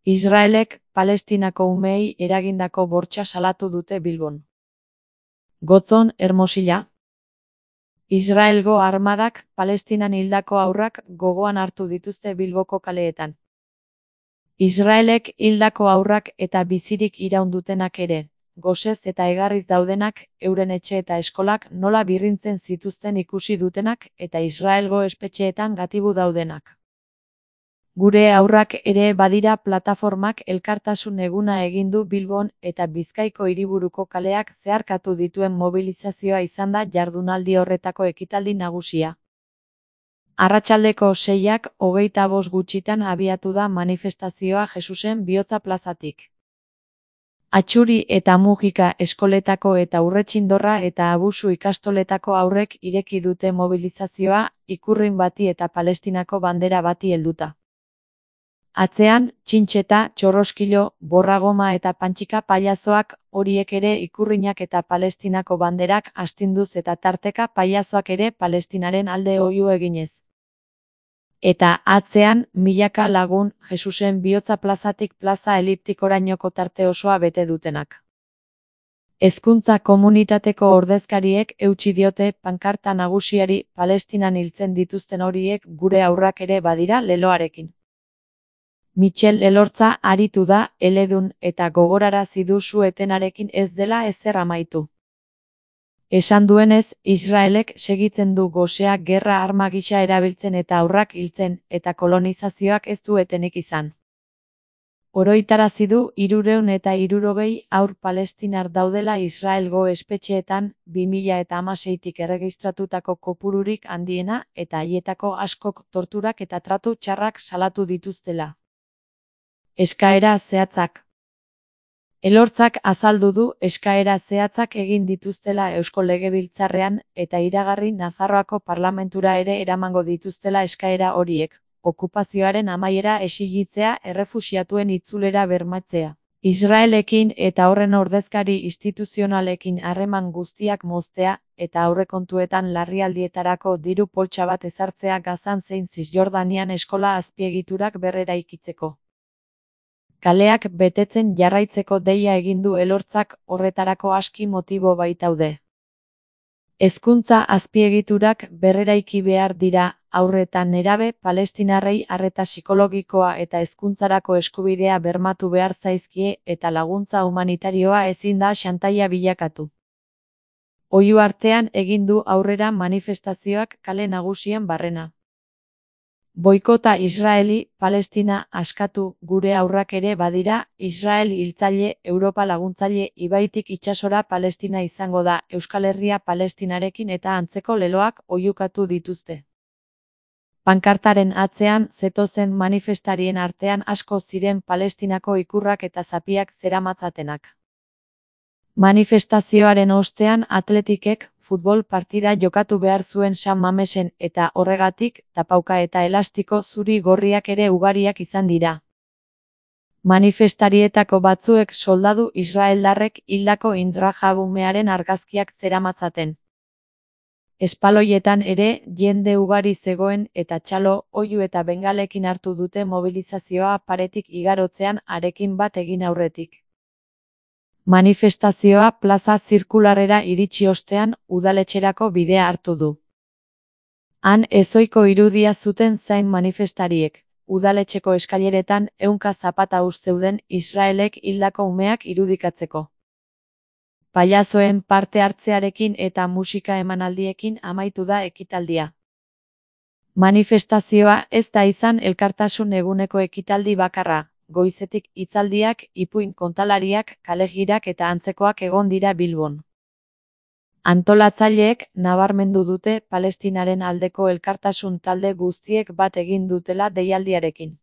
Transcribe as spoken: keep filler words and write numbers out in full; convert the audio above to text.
Israelek Palestinako umeei eragindako bortxa salatu dute Bilbon. Gotzon, Hermosilla. Israelgo armadak Palestinan hildako haurrak gogoan hartu dituzte Bilboko kaleetan. Israelek hildako haurrak eta bizirik iraun dutenak ere, gosez eta egarriz daudenak, euren etxe eta eskolak nola birrintzen zituzten ikusi dutenak eta Israelgo espetxeetan gatibu daudenak. Gure haurrak ere badira plataformak elkartasun eguna egin du Bilbon eta Bizkaiko hiriburuko kaleak zeharkatu dituen mobilizazioa izan da jardunaldi horretako ekitaldi nagusia. Arratsaldeko seiak hogeita bost gutxitan abiatu da manifestazioa Jesusen Bihotza plazatik. Atxuri eta Mujika eskoletako eta Urretxindorra eta Abusu ikastoletako haurrek ireki dute mobilizazioa ikurrin bati eta Palestinako bandera bati helduta. Atzean, txintxeta, txorroskilo, borragoma eta pantxika pailazoak, horiek ere ikurrinak eta Palestinako banderak astinduz eta tarteka pailazoak ere Palestinaren alde oihu eginez. Eta atzean, milaka lagun Jesusen Bihotza plazatik plaza eliptikorainoko tarte osoa bete dutenak. Hezkuntza komunitateko ordezkariek eutsi diote pankarta nagusiari Palestinan hiltzen dituzten horiek gure haurrak ere badira leloarekin. Michel Elortza aritu da, eledun eta gogorarazi du su-etenarekin ez dela ezer amaitu. Esan duenez, Israelek segitzen du gosea gerra arma gisa erabiltzen eta haurrak hiltzen, eta kolonizazioak ez du etenik izan. Oroitarazi du hirurehun eta hirurogei haur palestinar daudela Israelgo espetxeetan bi mila hamaseitik erregistratutako kopururik handiena eta haietako askok torturak eta tratu txarrak salatu dituztela. Eskaera zehatzak. Elortzak azaldu du eskaera zehatzak egin dituztela Eusko Legebiltzarrean eta iragarri Nafarroako parlamentura ere eramango dituztela eskaera horiek, okupazioaren amaiera exigitzea errefuxiatuen itzulera bermatzea. Israelekin eta horren ordezkari instituzionalekin harreman guztiak moztea eta aurrekontuetan larrialdietarako diru poltsa bat ezartzea Gazan zein Zisjordanian eskola azpiegiturak berreraikitzeko. Kaleak betetzen jarraitzeko deia egin du Elortzak horretarako aski motibo baitaude. Hezkuntza azpiegiturak berreraiki behar dira, haur eta nerabe palestinarrei arreta psikologikoa eta hezkuntzarako eskubidea bermatu behar zaizkie eta laguntza humanitarioa ezin da xantaia bilakatu. Oihu artean egin du aurrera manifestazioak kale nagusien barrena. Boikota Israeli, Palestina askatu, gure haurrak ere badira, Israel hiltzaile, Europa laguntzaile, ibaitik itsasora Palestina izango da, Euskal Herria Palestinarekin eta antzeko leloak oihukatu dituzte. Pankartaren atzean zetozen manifestarien artean asko ziren Palestinako ikurrak eta zapiak zeramatzatenak. Manifestazioaren ostean atletikek futbol partida jokatu behar zuen San Mamesen eta horregatik tapauka eta elastiko zuri gorriak ere ugariak izan dira. Manifestarietako batzuek soldadu israeldarrek hildako Indrajabumearen argazkiak zeramatzaten. Espaloietan ere jende ugari zegoen eta txalo, oihu eta bengalekin hartu dute mobilizazioa paretik igarotzean harekin bat egin aurretik. Manifestazioa plaza zirkularrera iritsi ostean udaletxerako bidea hartu du. Han ezohiko irudia zuten zain manifestariek, udaletxeko eskaileretan ehunka zapata us zeuden Israelek hildako umeak irudikatzeko. Pailazoen parte hartzearekin eta musika emanaldiekin amaitu da ekitaldia. Manifestazioa ez da izan elkartasun eguneko ekitaldi bakarra. Goizetik hitzaldiak, ipuin kontalariak, kalegirak eta antzekoak egon dira Bilbon. Antolatzaileek nabarmendu dute Palestinaren aldeko elkartasun talde guztiek bat egin dutela deialdiarekin.